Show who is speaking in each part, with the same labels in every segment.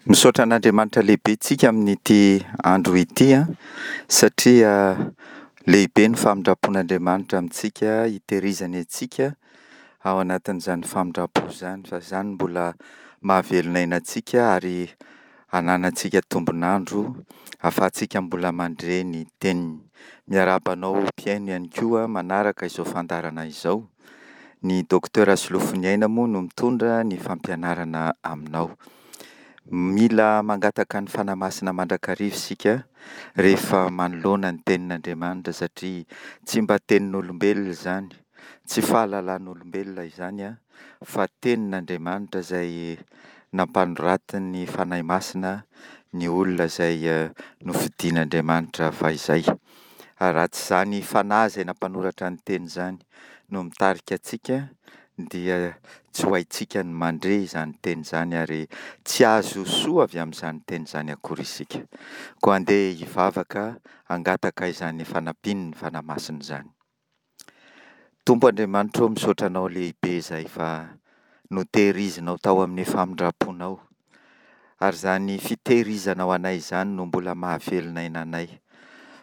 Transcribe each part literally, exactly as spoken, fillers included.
Speaker 1: Misaotra an'Andriamanitra lehibe tsika amin'ity andro ity an, satria lehibe ny famindram-pon'Andriamanitra amintsika, hitehirizany antsika ao anatin'izany famindram-po izany, fa izany mbola mahavelona aina antsika ary ananantsika tombon'andro ahafahantsika mbola mandre ny teniny. Miarahaba anao mpihaino ihany koa manaraka izao fandaharana izao. Ny Docteur Solofoniaina moa no mitondra ny fampianarana aminao. Mila mangataka ny Fanahy Masina mandrakariva isika rehefa manoloana ny tenin'Andriamanitra satria tsy mba tenin'olombelona izany, tsy fahalalan'olombelona izany an, fa tenin'Andriamanitra izay nampanoratin'ny Fanahy Masina ny olona izay nofidin'Andriamanitra fahizay. Ary raha tsy izany Fanahy izay nampanoratra ny teny izany no mitarika antsika dia tsy ho haintsika ny mandre izany teny izany ary tsy hahazo soa avy amin'izany teny izany akory isika. Koa andeha hivavaka hangataka izany fanampian'ny Fanahy Masina izany. Tompo Andriamanitra ô, misaotra Anao lehibe izahay fa notehirizinao tao amin'ny famindram-ponao, ary izany fitehirizanao anay izany no mbola mahavelona aina anay,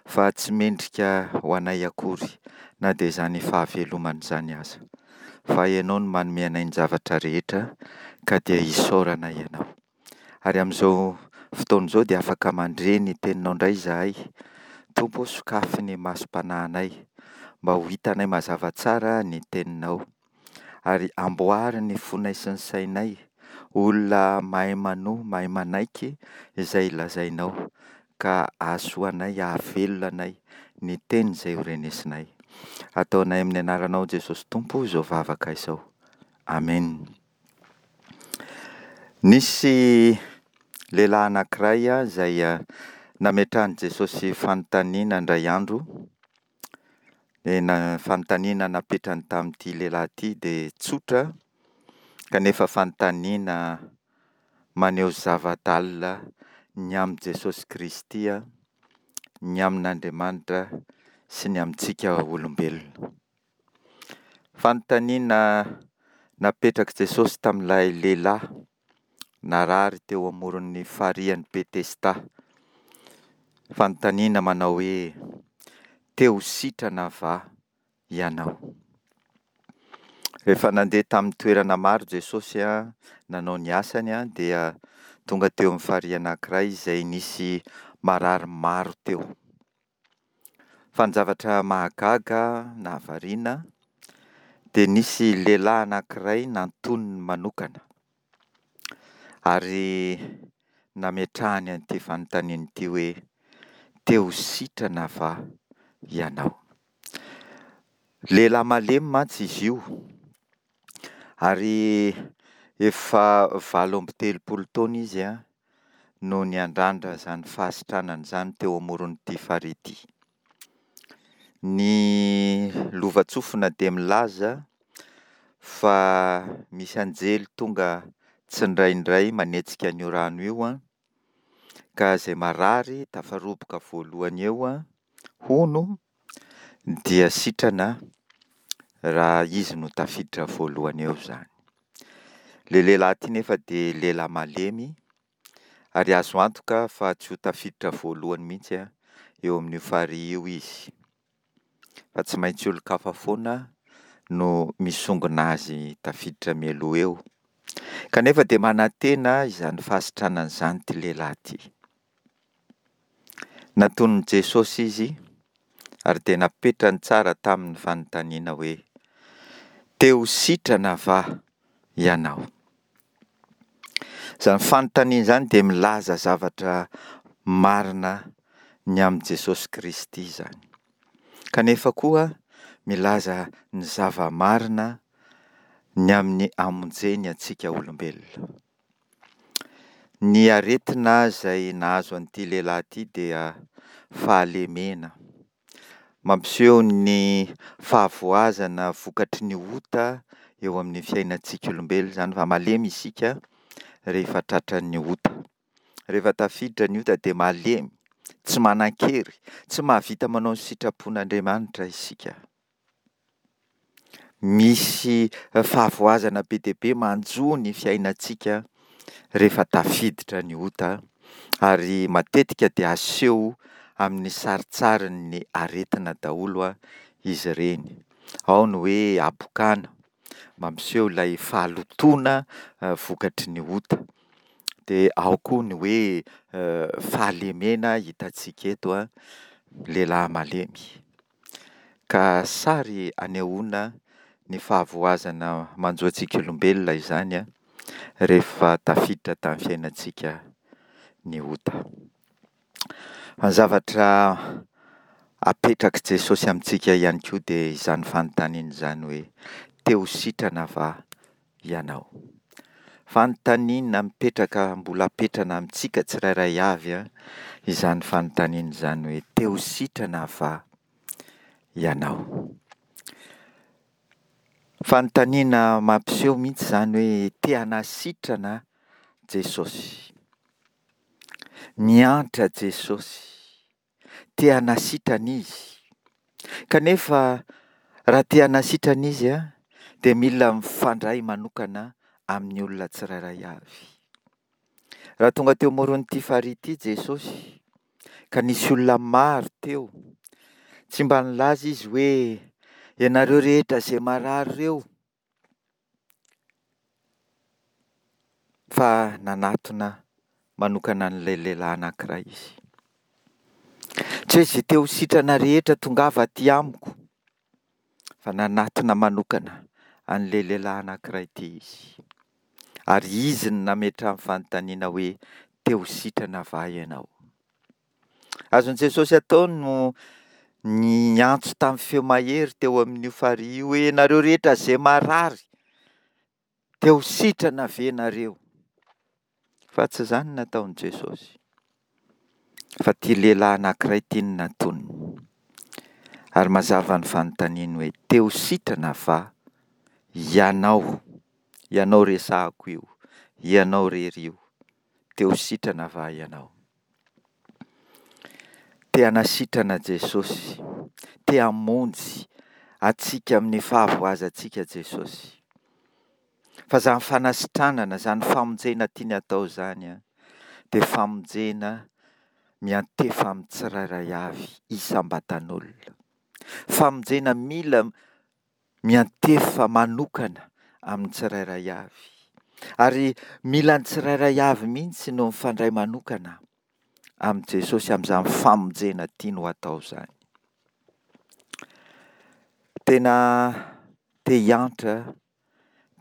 Speaker 1: fa tsy mendrika ho anay akory na dia izany fahavelomana izany aza. Fa Ianao no manome anay ny zavatra rehetra ka dia isaoranay Ianao. Ary amin'izao fotoana izao dia afaka mandre ny teninao indray izahay. Tompo ô, sokafy ny masom-panahinay mba ho hitanay mazava tsara ny teninao. Ary amboary ny fonay sy ny sainay ho olona mahay manoa, mahay manaiky izay lazainao, ka hahasoa anay, hahavelona anay ny teny izay ho renesinay. Ataonay amin'ny anaranao Jesosy Tompo izao vavaka izao. Amen. Nisy lehilahy anankiray izay nametrahan'i Jesosy fanontaniana indray andro. Ny fanontaniana napetrany tamin'ity lehilahy ity dia tsotra kanefa fanontaniana maneho zava-dalina ny amin'i Jesosy Kristy, ny amin'Andriamanitra sy ny amintsika olombelona. Fanontaniana napetrak'i Jesosy tamin'ilay lehilahy narary teo amoron'ny farihin'i Betesda. Fanontaniana manao hoe: te ho sitrana va ianao? Rehefa nandeha tamin'ny toerana maro Jesosy nanao ny asany dia tonga teo amin'ny farihy anankiray izay nisy marary maro teo. Fa ny zavatra mahagaga nahavariana dia nisy lehilahy anankiray nantoniny manokana ary nametrahany an'ity fanontaniana ity hoe: te ho sitrana va ianao? Lehilahy malemy mantsy izy io ary efa valo amby telopolo taona izy no niandrandra izany fahasitranana izany teo amoron'ity farihy ity. Ny lovantsofina dia milaza fa misy anjely tonga tsindraindray manetsika an'io rano io an, ka izay marary tafaroboka voalohany eo an, hono, dia sitrana raha izy no tafiditra voalohany eo izany. Ilay lehilahy ity nefa dia lehilahy malemy ary azo antoka fa tsy ho tafiditra voalohany mihitsy an, eo amin'io farihy io izy, fa tsy maintsy olon-kafa foana no misongona azy tafiditra mialoha eo. Kanefa dia manantena izany fahasitranana izany ity lehilahy ity. Natonin'i Jesosy izy ary dia napetrany tsara tamin'ny fanontaniana hoe: te ho sitrana va ianao? Izany fanontaniana izany dia milaza zavatra marina ny amin'i Jesosy Kristy izany. Kanefa koa milaza ny zava-marina ny amin'ny hamonjeny antsika olombelona. Ny aretina izay nahazo an'ity lehilahy ity dia fahalemena. Mampiseho ny fahavoazana vokatry ny ota eo amin'ny fiainantsika olombelona izany, fa malemy isika rehefa tratran'ny ota. Rehefa tafiditra ny ota dia malemy, tsy manan-kery, tsy mahavita manao ny sitrapon'Andriamanitra isika. Misy fahavoazana be dia be manjo ny fiainantsika rehefa tafiditra ny ota, ary matetika dia aseho amin'ny sarintsarin'ny aretina daholo izy ireny. Ao ny hoe habokana, mampiseho ilay fahalotoana vokatry ny ota. Dia ao koa ny hoe fahalemena hitantsika eto an, lehilahy malemy. Ka sary anehoana ny fahavoazana manjo antsika olombelona izany an, rehefa tafiditra tamin'ny fiainantsika ny ota. Ny zavatra apetrak'i Jesosy amintsika ihany koa dia izany fanontaniana izany hoe te ho sitrana va ianao? Fanontaniana mipetraka mbola apetrana amintsika tsirairay avy an, izany fanontaniana izany hoe te ho sitrana va ianao? Fanontaniana mampiseho mihitsy izany hoe te hanasitrana Jesosy. Miantra Jesosy, te hanasitrana Izy. Kanefa raha te hanasitrana Izy an, dia mila mifandray manokana amin'ny olona tsirairay avy. Raha tonga teo amoron'ity farihy ity Jesosy, ka nisy olona maro teo, tsy mba nilaza Izy hoe ianareo rehetra izay marary ireo, fa nanatona manokana an'ilay lehilahy anankiray Izy. Tsy hoe izay te ho sitrana rehetra tongava aty amiko, fa nanatona manokana an'ilay lehilahy anankiray ity Izy. Ary Izy no nametrahany fanontaniana hoe te ho sitrana va ianao? Azon'i Jesosy atao no niantso tamin'ny feo mahery teo amin'io farihy io hoe ianareo rehetra izay marary, te ho sitrana ve nareo? Fa tsy izany no nataon'i Jesosy. Fa ity lehilahy anankiray ity no natoniny. Ary mazava ny fanontaniany hoe te ho sitrana va ianao? Ianao resahako io, ianao irery io. Te ho sitrana va ianao? Te hanasitrana Jesosy, te hamonjy antsika amin'ny fahavoazantsika Jesosy. Fa izany fanasitranana, izany famonjena tiany atao izany an, dia famonjena miantefa amin'ny tsirairay avy isam-batan'olona. Famonjena mila miantefa manokana amin'ny tsirairay avy. Ary mila ny tsirairay avy mihitsy no mifandray manokana amin'i Jesosy amin'izany famonjena tiany ho atao izany. Tena te hiantra,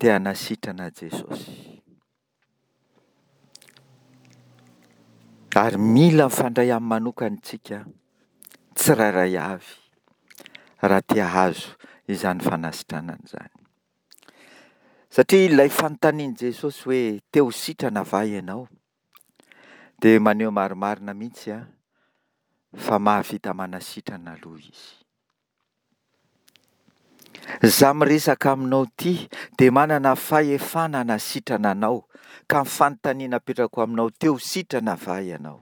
Speaker 1: te hanasitrana Jesosy. Ary mila mifandray aminy manokana isika tsirairay avy raha te hahazo izany fanasitranana izany. Satria ilay fanontanian'i Jesosy hoe te ho sitrana va ianao? Dia maneho marimarina mihitsy an, fa mahavita manasitrana aloha Izy. Izaho miresaka aminao ity dia manana fahefana hanasitrana anao, ka ny fanontaniana apetrako aminao, te ho sitrana va ianao?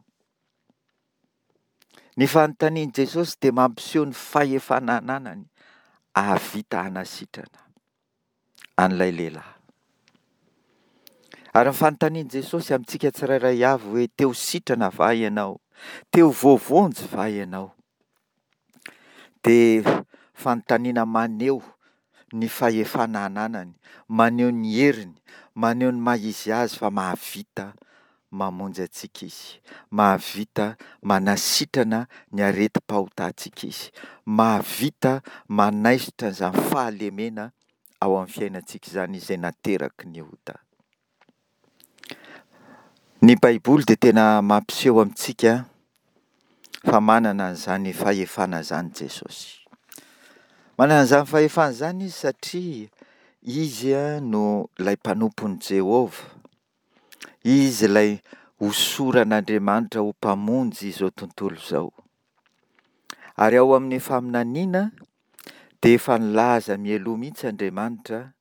Speaker 1: Ny fanontanian'i Jesosy dia mampiseho ny fahefana ananany hahavita hanasitrana an'ilay lehilahy. Ary ny fanontanian'i Jesosy amintsika tsirairay avy hoe te ho sitrana va ianao? Te ho voavonjy va ianao? Dia fanontaniana maneho ny fahefana ananany, maneho ny heriny, maneho ny maha izy azy fa mahavita mamonjy antsika Izy, mahavita manasitrana ny aretim-pahotantsika Izy, mahavita manaisotra izany fahalemena ao amin'ny fiainantsika izany izay nateraky ny ota. Ny Baiboly dia tena mampiseho amintsika fa manana an'izany fahefana izany Jesosy. Manana an'izany fahefana izany Izy satria Izy no ilay mpanompon'i Jehovah. Izy ilay hosoran'Andriamanitra ho mpamonjy izao tontolo izao. Ary ao amin'ny faminaniana dia efa nilaza mialoha mihitsy Andriamanitra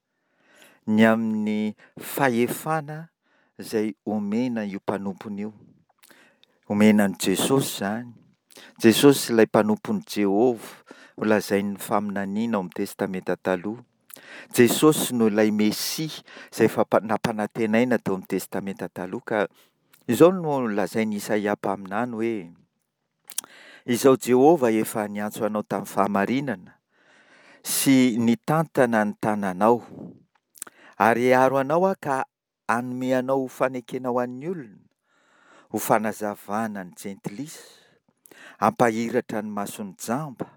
Speaker 1: ny amin'ny fahefana izay omena io mpanompony io. Omena an'i Jesosy izany. Jesosy ilay mpanompon'i Jehovah, holazain'ny faminaniana ao amin'ny Testamenta Taloha. Jesosy no ilay Mesia izay efa nampanantenaina tao amin'ny Testamenta Taloha ka izao no lazain'i Isaia mpaminany hoe, Izao Jehovah efa niantso anao tamin'ny fahamarinana sy nitantana ny tananao, ary hiaro anao Aho ka hanome anao ho fanekena ho an'ny olona, ho fanazavana ny jentilisa, hampahiratra ny mason'ny jamba,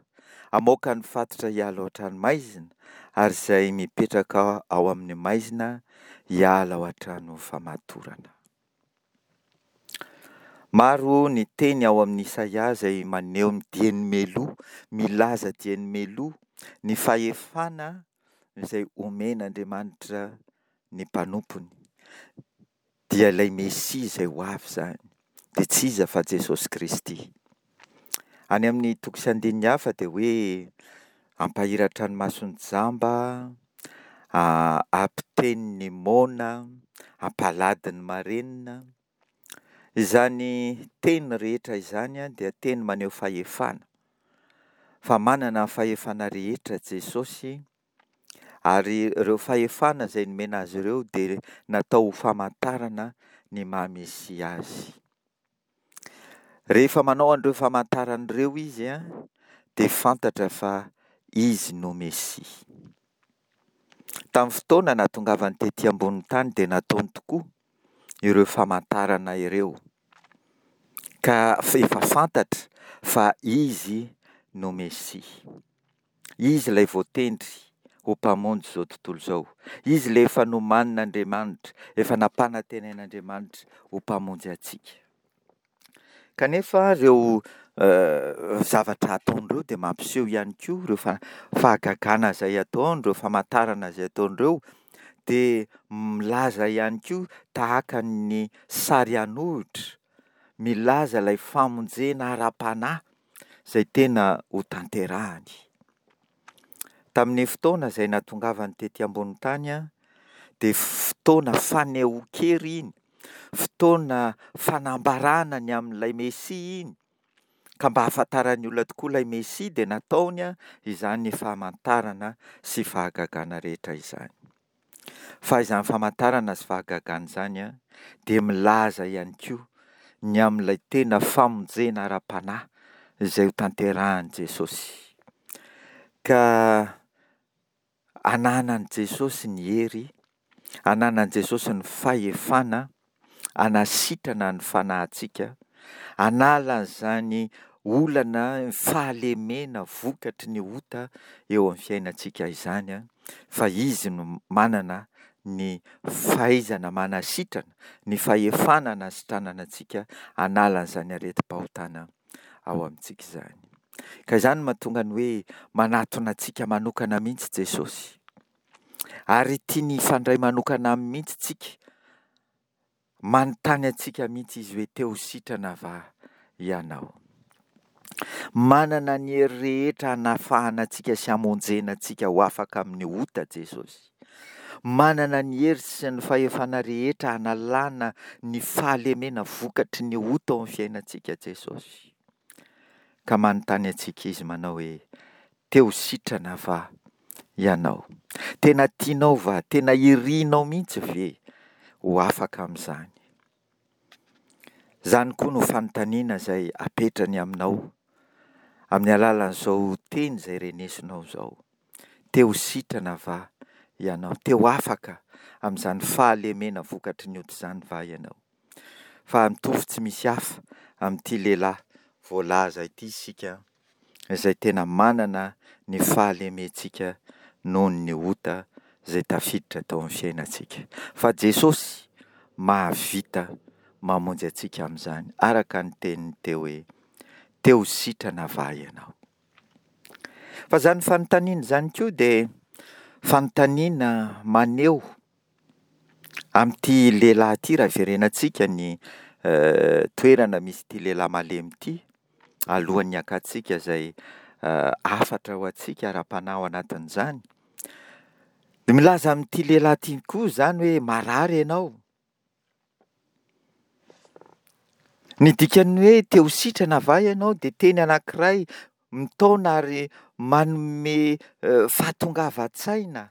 Speaker 1: hamoaka ny fatotra hiala ao an-tranomaizina, ary izay mipetraka ao amin'ny maizina hiala ao an-trano famatorana. Maro ny teny ao amin'i Isaia izay maneho ny dieny mialoha, milaza dieny mialoha ny fahefana izay omen'Andriamanitra ny mpanompony, dia ilay Mesia izay ho avy izany, dia tsy iza fa Jesosy Kristy. Any amin'ny toko sy andininy hafa dia hoe hampahiratra ny mason'ny jamba, hampiteny ny moana, hampalady ny marenina. Izany teny rehetra izany dia teny maneho fahefana, fa manana ny fahefana rehetra Jesosy, ary ireo fahefana izay nomena azy ireo dia natao ho famantarana ny maha Mesia azy. Rehefa manao an'ireo famantarana ireo izy dia fantatra fa izy no Mesia. Tamin'ny fotoana nahatongavany tety ambonin'ny tany dia nataony tokoa ireo famantarana ireo, ka efa fantatra fa izy no Mesia. Izy ilay voatendry ho Mpamonjy izao tontolo izao. Izy ilay efa nomanin'Andriamanitra, efa nampanantenain'Andriamanitra ho Mpamonjy antsika. Kanefa ireo zavatra ataony ireo dia mampiseho ihany koa ireo fahagagana izay ataony, ireo famantarana izay ataony ireo dia milaza ihany koa tahaka ny sary an'ohitra, milaza ilay famonjena ara-panahy izay tena hotanterahany. Tamin'ny fotoana izay nahatongavany tety ambonin'ny tany dia fotoana fanehoan-kery iny, fotoana fanambarana ny amin'ilay Mesia iny, ka mba hahafantaran'ny olona tokoa ilay Mesia dia nataony izany famantarana sy fahagagana rehetra izany. Fa izany famantarana sy fahagagana izany dia milaza ihany koa ny amin'ilay tena famonjena ara-panahy izay hotanterahin'i Jesosy. Ka ananan'i Jesosy ny hery, ananan'i Jesosy ny fahefana hanasitrana ny fanahintsika, hanala an'izany olana, fahalemena vokatry ny ota eo amin'ny fiainantsika izany, fa Izy no manana ny fahaizana manasitrana, ny fahefana hanasitranana antsika, hanala an'izany aretim-pahotana ao amintsika izany. Ka izany no mahatonga ny hoe manatona antsika manokana mihitsy Jesosy. Ary tiany hifandray manokana aminy mihitsy tsika. Manontany antsika mihitsy izy hoe te ho sitrana va ianao? Manana ny hery rehetra hanafahana antsika sy hamonjena antsika ho afaka amin'ny ota Jesosy. Manana ny hery sy ny fahefana rehetra hanalana ny fahalemena vokatry ny ota ao amin'ny fiainantsika Jesosy. Ka manontany antsika izy manao hoe te ho sitrana va ianao? Tena tianao va? Tena irinao mihitsy ve ho afaka amin'izany? Izany koa no fanontaniana izay apetrany aminao amin'ny alalan'izao teny izay renesinao izao. Te ho sitrana va ianao? Te ho afaka amin'izany fahalemena vokatry ny ota izany va ianao? Fa mitovy tsy misy hafa amin'ity lehilahy voalaza ity isika izay tena manana ny fahalementsika noho ny ota izay tafiditra tao amin'ny fiainantsika. Fa Jesosy mahavita mamonjy antsika amin'izany, araka ny teniny teo hoe, te ho sitrana va ianao? Fa izany fanontaniana izany koa dia fanontaniana maneho amin'ity lehilahy ity, raha iverenantsika ny toerana misy ity lehilahy malemy ity, alohan'ny hakantsika izay hafatra ho antsika ara-panahy ao anatin'izany, dia milaza amin'ity lehilahy ity koa izany hoe marary ianao. Ny dikan'ny hoe te ho sitrana va ianao dia teny anankiray mitaona ary manome fahatongavan-tsaina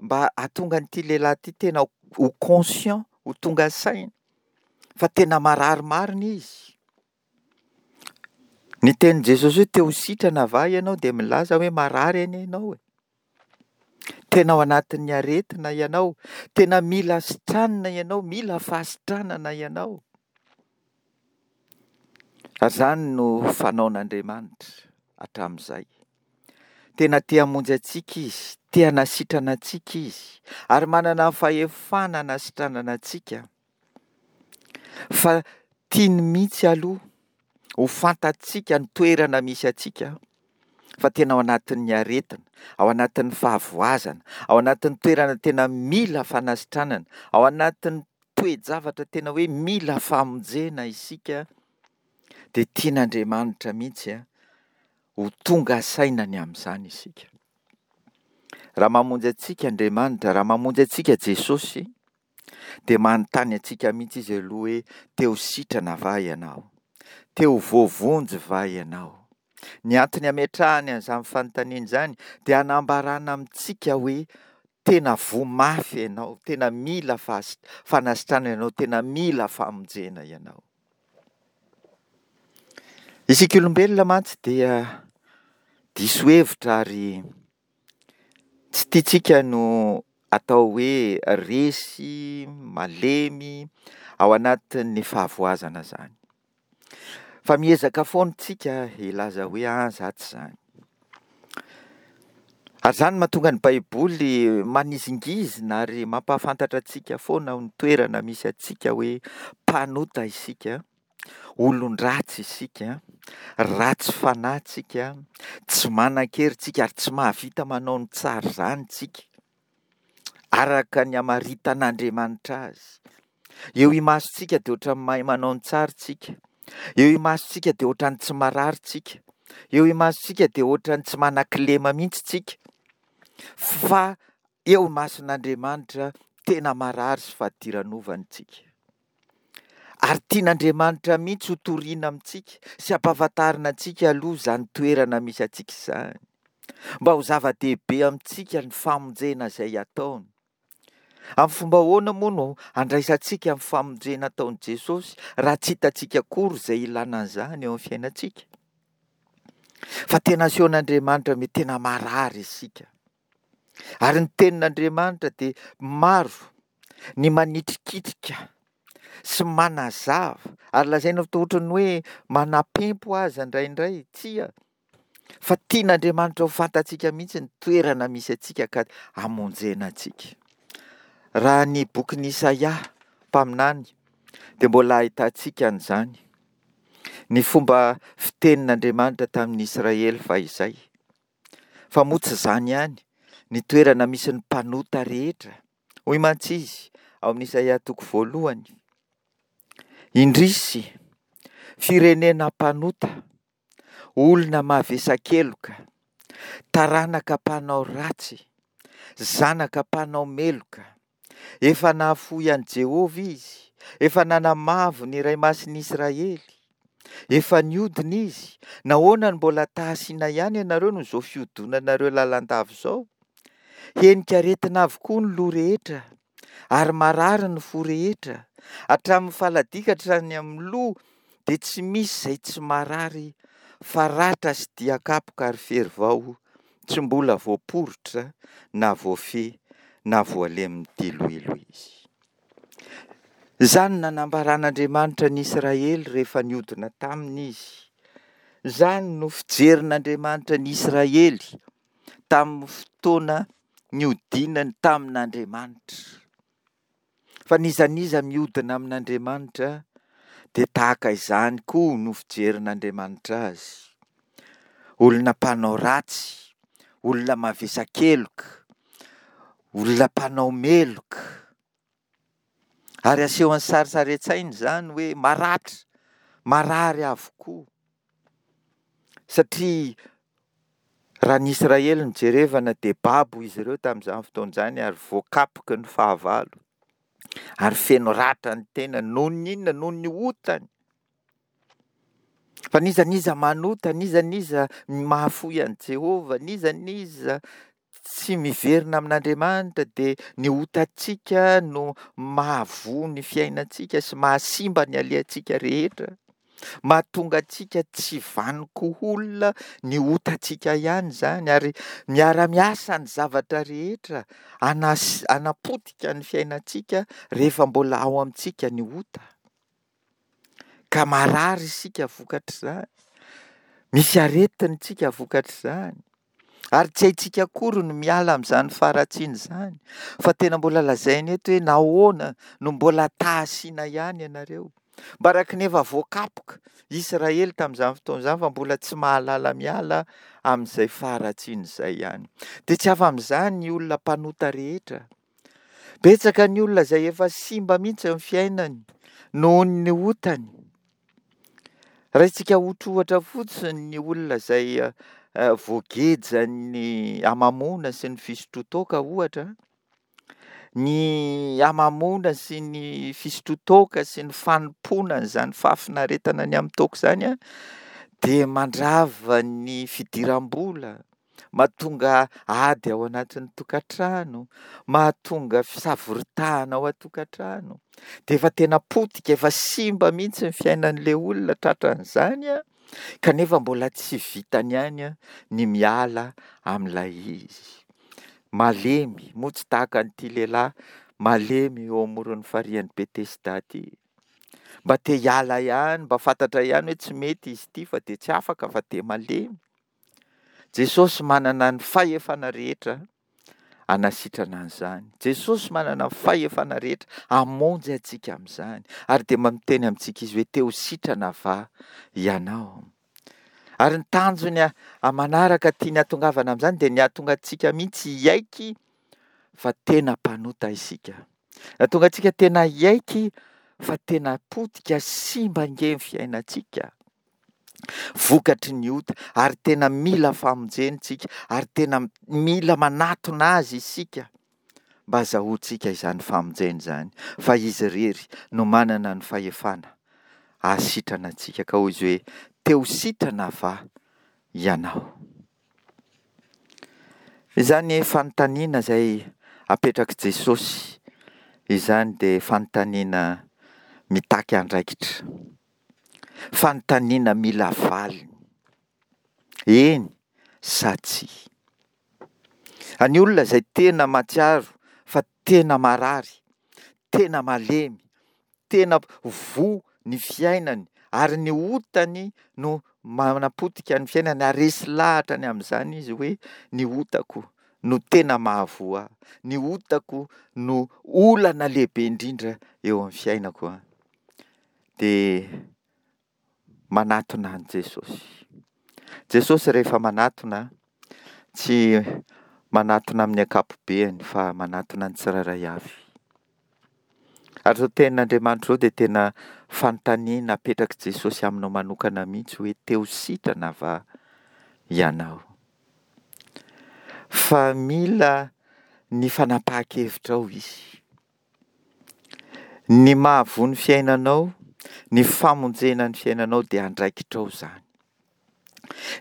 Speaker 1: mba hahatonga an'ity lehilahy ity tena ho conscient, ho tonga saina fa tena marary marina izy. Ny tenin'i Jesosy hoe te ho sitrana va ianao dia milaza hoe marary anie ianao e. Tena ao anatin'ny aretina ianao, tena mila sitranina ianao, mila fahasitranana ianao. Ary izany no fanaon'Andriamanitra hatramin'izay. Tena te hamonjy antsika Izy, te hanasitrana antsika Izy, ary manana ny fahefana hanasitranana antsika. Fa tiany mihitsy aloha ho fantatsika ny toerana misy antsika, fa tena ao anatin'ny aretina, ao anatin'ny fahavoazana, ao anatin'ny toerana tena mila fanasitranana, ao anatin'ny toe-javatra tena hoe mila famonjena isika, dia tian'Andriamanitra mihitsy ho tonga saina ny amin'izany isika. Raha mamonjy antsika Andriamanitra, raha mamonjy antsika Jesosy, dia manontany antsika mihitsy Izy aloha hoe te ho sitrana va ianao? Te ho voavonjy va ianao? Ny antony ametrahany an'izany fanontaniana izany dia hanambarana amintsika hoe tena voa mafy ianao, tena mila fahas-, fanasitranana ianao, tena mila famonjena ianao. Isika olombelona mantsy dia diso hevitra ary tsy tiantsika no atao hoe resy, malemy ao anatin'ny fahavoazana izany. Fa miezaka foana isika hilaza hoe ah, za tsy izany. Ary izany no mahatonga ny Baiboly manizingizina ary mampahafantatra antsika foana ny toerana misy antsika hoe mpanota isika, olon-dratsy isika, ratsy fanahy tsika, tsy manan-kery tsika ary tsy mahavita manao ny tsara izany tsika, araka ny hamaritan'Andriamanitra azy. Eo imasontsika dia ohatran'ny mahay manao ny tsara tsika, eo imasontsika dia ohatran'ny tsy marary tsika, eo imasontsika dia ohatran'ny tsy manan-kilema mihitsy tsika, fa eo imason'Andriamanitra tena marary sy fadiranovana tsika. Ary tian'Andriamanitra mihitsy ho toriana amintsika sy hampahafantarina antsika aloha izany toerana misy antsika izany, mba ho zava-dehibe amintsika ny famonjena izay ataony. Amin'ny fomba ahoana moa no handraisantsika ny famonjena ataon'i Jesosy raha tsy hitantsika akory izay ilana an'izany eo amin'ny fiainantsika? Fa tena asehon'Andriamanitra hoe tena marary isika. Ary ny tenin'Andriamanitra dia maro ny manitrikitrika sy manazava, ary lazaina fa ohatran'ny hoe manapempo aza indraindray. Tsia, fa tian'Andriamanitra ho fantatsika mihitsy ny toerana misy antsika ka hamonjena antsika. Raha ny bokin'i Isaia mpaminany dia mbola ahitantsika an'izany, ny fomba fitenin'Andriamanitra tamin'ny Israely fahizay. Fa moa tsy izany ihany, ny toerana misy ny mpanota rehetra. Hoy mantsy izy ao amin'ny Isaia toko voalohany, indrisy, firenena mpanota, olona mavesa-keloka, taranaka mpanao ratsy, zanaka mpanao meloka, efa nahafoy an'i Jehovah izy, efa nanamavo ny Iray Masin'i Israely, efa niodina izy, nahoana no mbola tahasina ihany ianareo noho izao fiodonanareo lalandava izao? Henika aretina avokoa ny loha rehetra, ary marary ny fo rehetra, hatramin'ny faladia ka hatrany amin'ny loha dia tsy misy izay tsy marary, fa ratra sy dian-kapoka ary fery vao tsy mbola voaporitra na voafehy na voalemin'ny diloilo izy. Izany no nanambaran'Andriamanitra ny Israely rehefa niodina taminy izy. Izany no fijerin'Andriamanitra ny Israely tamin'ny fotoana niodinany tamin'Andriamanitra. Fa n'iza n'iza miodina amin'Andriamanitra dia tahaka izany koa no fijerin'Andriamanitra azy. Olona mpanao ratsy, olona mavesa-keloka, olona mpanao meloka. Ary asehon'ny sarisary an-tsaina izany hoe maratra, marary avokoa. Satria raha ny Israely no jerevana dia babo izy ireo tamin'izany fotoana izany ary voakapoky ny fahavalo. Ary feno ratra ny tenany noho ny inona? Noho ny otany. Fa n'iza n'iza manota, n'iza n'iza mahafoy an'i Jehovah, n'iza n'iza tsy miverina amin'Andriamanitra dia ny otantsika no mahavoa ny fiainantsika sy mahasimba ny alehantsika rehetra. Mahatonga antsika tsy vanon-ko olona ny otantsika ihany izany, ary miara-miasa ny zavatra rehetra hanas- hanapotika ny fiainantsika rehefa mbola ao amintsika ny ota. Ka marary isika vokatr'izany, misy aretina isika vokatr'izany, ary tsy haintsika akory ny miala amin'izany faharatsiana izany, fa tena mbola lazaina eto hoe nahoana no mbola ta-hasina ihany ianareo. Mba araka ny efa voakapoka Israely tamin'izany fotoana izany fa mbola tsy mahalala miala amin'izay faharatsiana izay ihany. Dia tsy afa-amin'izany ny olona mpanota rehetra. Betsaka ny olona izay efa simba mihitsy ny fiainany noho ny otany. Raintsika ohatrohatra fotsiny ny olona izay voagejan'ny hamamoana sy ny fisotroan-toaka ohatra. Ny hamamoana sy ny fisotroan-toaka sy ny fanompoana an'izany fahafinaretana ny amin'ny toaka izany an, dia mandrava ny fidiram-bola, mahatonga ady ao anatin'ny tokantrano, mahatonga fisavoritahana ao an-tokantrano. Dia efa tena potika, efa simba mihitsy ny fiainan'ilay olona tratran'izany an, kanefa mbola tsy vitany ihany an ny miala amin'ilay izy. Malemy, moa tsy tahaka an'ity lehilahy malemy eo amoron'ny farihin'i Betesda ity. Mba te hiala ihany, mba fantatra ihany hoe tsy mety izy ity fa dia tsy afaka fa dia malemy. Jesosy manana ny fahefana rehetra hanasitrana an'izany. Jesosy manana ny fahefana rehetra hamonjy antsika amin'izany. Ary dia miteny amintsika izy hoe te ho sitrana va ianao? Ary ny tanjony manaraka tiany hahatongavana amin'izany dia ny hahatonga antsika mihitsy hiaiky fa tena mpanota isika. Hahatonga antsika tena hiaiky fa tena potika simba ange ny fiainantsika. Vokatry ny ota, ary tena mila famonjena isika, ary tena mila manatona azy isika mba hazahoantsika izany famonjena izany, fa izy irery no manana ny fahefana hahasitrana antsika. Ka hoy izy hoe, te ho sitrana va ianao? Izany fanontaniana izay apetrak'i Jesosy izany dia fanontaniana mitaky andraikitra. Fanontaniana mila valiny. Eny sa tsia? Ny olona izay tena mahatsiaro fa tena marary, tena malemy, tena voa ny fiainany ary ny otany no manapotika ny fiainany ary resy lahatra ny amin'izany izy hoe ny otako no tena mahavoa ahy, ny otako no olana lehibe indrindra eo amin'ny fiainako an. Dia manatona an'i Jesosy. Jesosy rehefa manatona, tsy manatona amin'ny ankapobeany fa manatona ny tsirairay avy. Ary izao tenin'Andriamanitra izao dia tena fanontaniana apetrak'i Jesosy aminao manokana mihitsy hoe te ho sitrana va ianao? Fa mila ny fanapahan-kevitrao izy. Ny mahavoa ny fiainanao, ny famonjena ny fiainanao dia andraikitrao izany.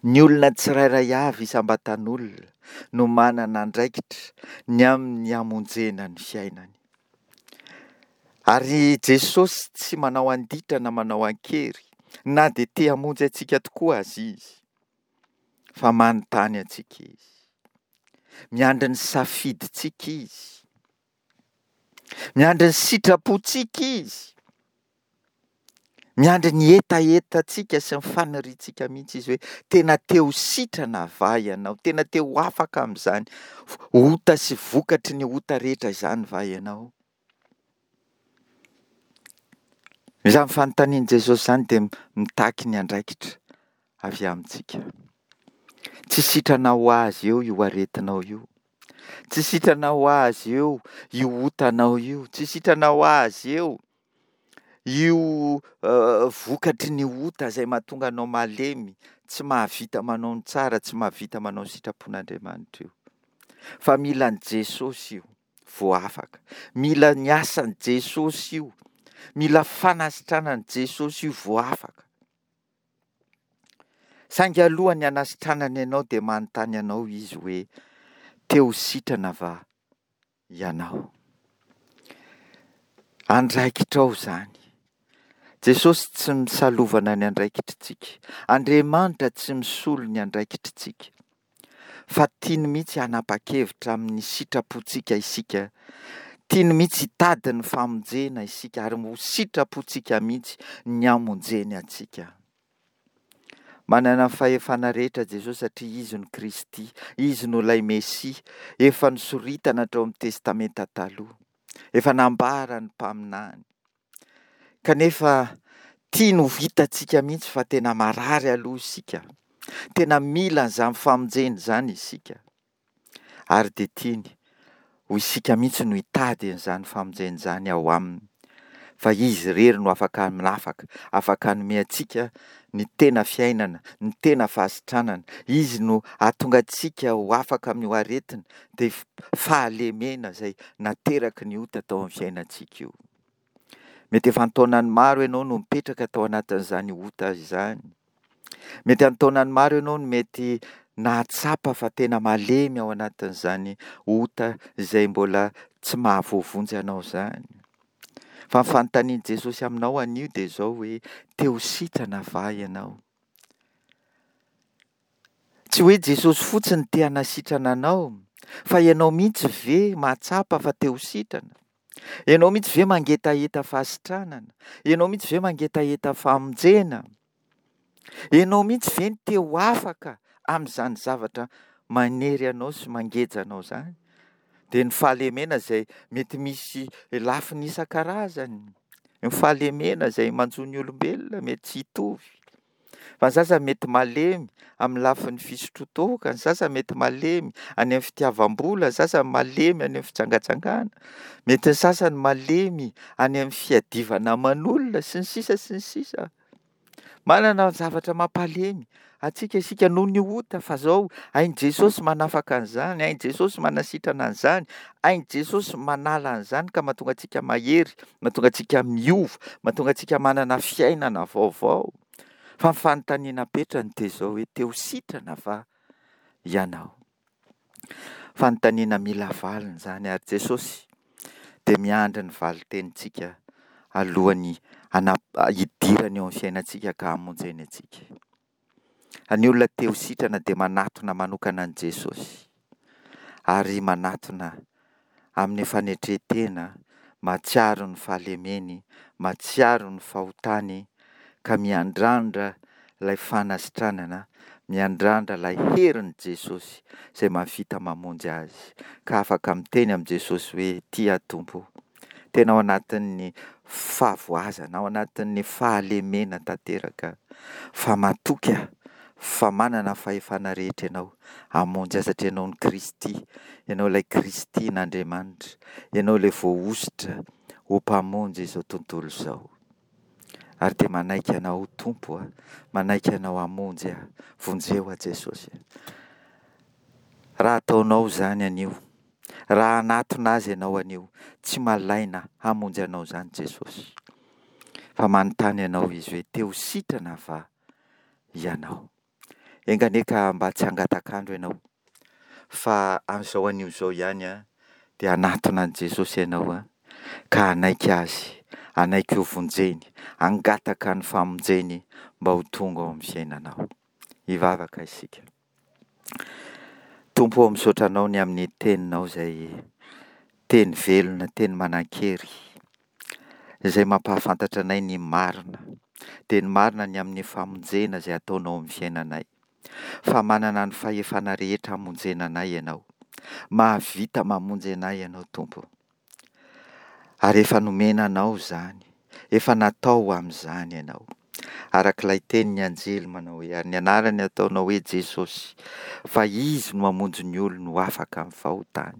Speaker 1: Ny olona tsirairay avy isam-batan'olona no manana andraikitra ny amin'ny hamonjena ny fiainany. Ary Jesosy tsy manao an-ditra na manao an-kery, na dia te hamonjy antsika tokoa aza Izy, fa manontany antsika Izy. Miandry ny safidintsika Izy. Miandry ny sitrapontsika Izy. Miandry ny hetahetantsika sy ny faniriantsika mihitsy Izy hoe tena te ho sitrana va ianao? Tena te ho afaka amin'izany ota sy vokatry ny ota rehetra izany va ianao? Izany fanontanian'i Jesosy izany dia mitaky ny andraikitra avy amintsika. Tsy sitrana ho azy eo io aretinao io. Tsy sitrana ho azy eo io otanao io. Tsy sitrana ho azy eo io vokatry ny ota izay mahatonga anao malemy, tsy mahavita manao ny tsara, tsy mahavita manao ny sitrapon'Andriamanitra io. Fa mila an'i Jesosy io vao afaka. Mila ny asan'i Jesosy io. Mila fanasitranan'i Jesosy io vao afaka. Saingy alohan'ny hanasitranany anao dia manontany anao Izy hoe, Te ho sitrana va ianao? Andraikitrao izany. Jesosy tsy misalovana ny andraikitritsika. Andriamanitra tsy misolo ny andraikitritsika. Fa tiany mihitsy hanapa-kevitra amin'ny sitrapontsika isika. Tiany mihitsy hitady ny famonjena isika ary ho sitrapontsika mihitsy ny hamonjeny antsika. Manana ny fahefana rehetra Jesosy satria Izy no Kristy, Izy no ilay Mesia efa nosoritana hatrao amin'ny Testamenta Taloha, efa nambaran'ny mpaminany. Kanefa tiany ho hitantsika mihitsy fa tena marary aloha isika, tena mila an'izany famonjena izany isika. Ary dia tiany ho isika mihitsy no hitady an'izany famonjena izany ao aminy, fa Izy irery no afaka manafaka, afaka hanome antsika ny tena fiainana, ny tena fahasitranana. Izy no hahatonga antsika ho afaka amin'io aretina, dia fahalemena izay nateraky ny ota tao amin'ny fiainantsika io. Mety efa an-taonany maro ianao no mipetraka tao anatin'izany ota izany. Mety an-taonany maro ianao no mety nahatsapa fa tena malemy ao anatin'izany ota izay mbola tsy mahavoavonjy anao izany. Fa ny fanontanian'i Jesosy aminao anio dia izao hoe, te ho sitrana va ianao? Tsy hoe Jesosy fotsiny te hanasitrana anao, fa ianao mihitsy ve mahatsapa fa te ho sitrana? Ianao mihitsy ve mangetaheta fahasitranana? Ianao mihitsy ve mangetaheta famonjena? Ianao mihitsy ve no te ho afaka amin'izany zavatra manery anao sy mangeja anao izany? Dia ny fahalemena izay mety misy lafiny isan-karazany, ny fahalemena izay manjo ny olombelona mety tsy hitovy. Fa ny sasany mety malemy amin'ny lafiny fisotroan-toaka, ny sasany mety malemy any amin'ny fitiavam-bola, ny sasany malemy any amin'ny fijangajangana, mety ny sasany malemy any amin'ny fiadivana aman'olona, sy ny sisa sy ny sisa. Manana zavatra mampalemy antsika isika noho ny ota, fa zao hain'i Jesosy manafaka an'izany, hain'i Jesosy manasitrana an'izany, hain'i Jesosy manala an'izany ka mahatonga antsika mahery, mahatonga antsika miova, mahatonga antsika manana fiainana vaovao. Fa ny fanontaniana apetrany dia izao hoe, te ho sitrana va ianao? Fanontaniana mila valiny izany, ary Jesosy dia miandry ny valin-tenintsika alohan'ny hidirany eo amin'ny fiainantsika ka hamonjeny antsika. Ny olona te ho sitrana dia manatona manokana an'i Jesosy, ary manatona amin'ny fanetren-tena, mahatsiaro ny fahalemeny, mahatsiaro ny fahotany, ka miandrandra ilay fanasitranana, miandrandra ilay herin'i Jesosy izay mahavita mamonjy azy, ka afaka miteny amin'i Jesosy hoe, tia Tompo, tena ao anatin'ny fahavoazana, ao anatin'ny fahalemena tanteraka, fa matoky aho fa manana fahefana rehetra ianao hamonjy ahy, satria ianao no Kristy, ianao ilay Kristin'Andriamanitra, ianao ilay voahosotra ho mpamonjy izao tontolo izao. Ary dia manaiky anao ho Tompo aho, manaiky anao hamonjy aho, vonjeo aho Jesosy. Raha ataonao izany anio, raha hanatona Azy ianao anio, tsy malaina hamonjy anao izany Jesosy. Fa manontany anao Izy hoe, te ho sitrana va ianao? Enga anie ka mba tsy hangatak'andro ianao, fa amin'izao anio izao ihany dia hanatona an'i Jesosy ianao ka hanaiky Azy, hanaiky ho vonjeny, hangataka ny famonjeny mba ho tonga ao amin'ny fiainanao. Hivavaka isika. Tompo ô, misaotra Anao ny amin'ny Teninao izay teny velona, teny manan-kery, izay mampahafantatra anay ny marina, dia ny marina ny amin'ny famonjena izay ataonao amin'ny fiainanay. Fa manana ny fahefana rehetra hamonjena anay Ianao. Mahavita mamonjy anay Ianao, Tompo. Ary efa nomena Anao izany, efa natao ho amin'izany Ianao. Araka ilay tenin'ny anjely manao hoe, ary ny anarany ataonao hoe Jesosy, fa Izy no hamonjy ny olony ho afaka amin'ny fahotany.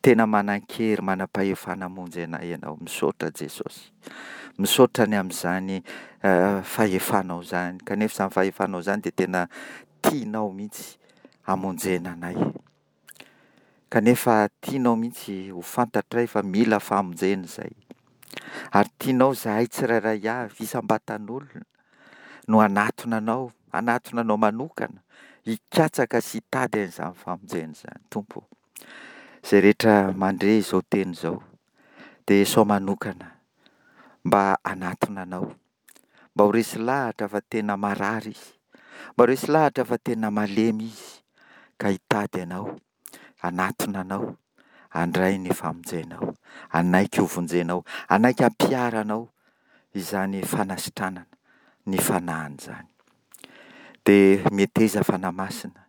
Speaker 1: Tena manan-kery, manam-pahefana hamonjy anay Ianao. Misaotra Jesosy. Misaotra ny amin'izany fahefanao izany. Kanefa izany fahefanao izany dia tena tianao mihitsy hamonjena anay. Kanefa tianao mihitsy ho fantatray fa mila famonjena izay. Ary tianao izahay tsirairay avy, isam-batan'olona, no hanatona anao, hanatona anao manokana hikatsaka sy hitady an'izany famonjena izany. Tompo ô, izay rehetra mandre izao teny izao, dia asao manokana mba hanatona Anao, mba ho resy lahatra fa tena marary izy, mba ho resy lahatra fa tena malemy izy, ka hitady Anao, hanatona Anao, handray ny famonjenao, hanaiky hovonjenao, hanaiky hampiharanao izany fanasitranana ny fanahiny izany. Dia meteza Fanahy Masina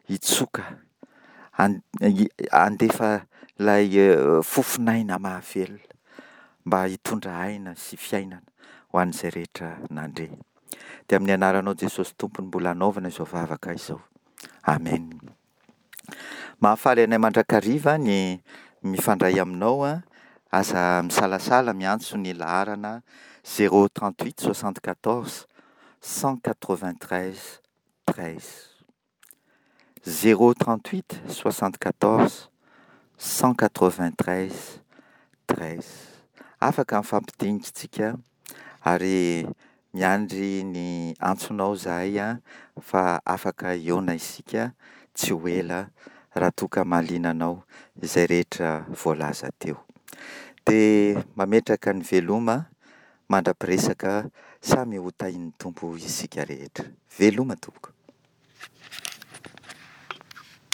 Speaker 1: hitsoka, handefa ilay fofon'aina mahavelona mba hitondra aina sy fiainana ho an'izay rehetra nandre. Dia amin'ny anaranao Jesosy Tompo no mbola anaovana izao vavaka izao. Amena. Mahafaly anay mandrakariva ny mifandray aminao an. Aza misalasala miantso ny laharana zéro trente huit soixante quatorze cent quatre vingt treize treize. Zéro trente huit soixante quatorze cent quatre vingt treize treize. Afaka mifampidinika isika ary miandry ny antsonao izahay an, fa afaka hihaona isika tsy ho ela raha toa ka mahaliana anao izay rehetra voalaza teo. Dia mametraka ny veloma mandra-piresaka, samy ho tahian'ny Tompo isika rehetra. Veloma tompoko.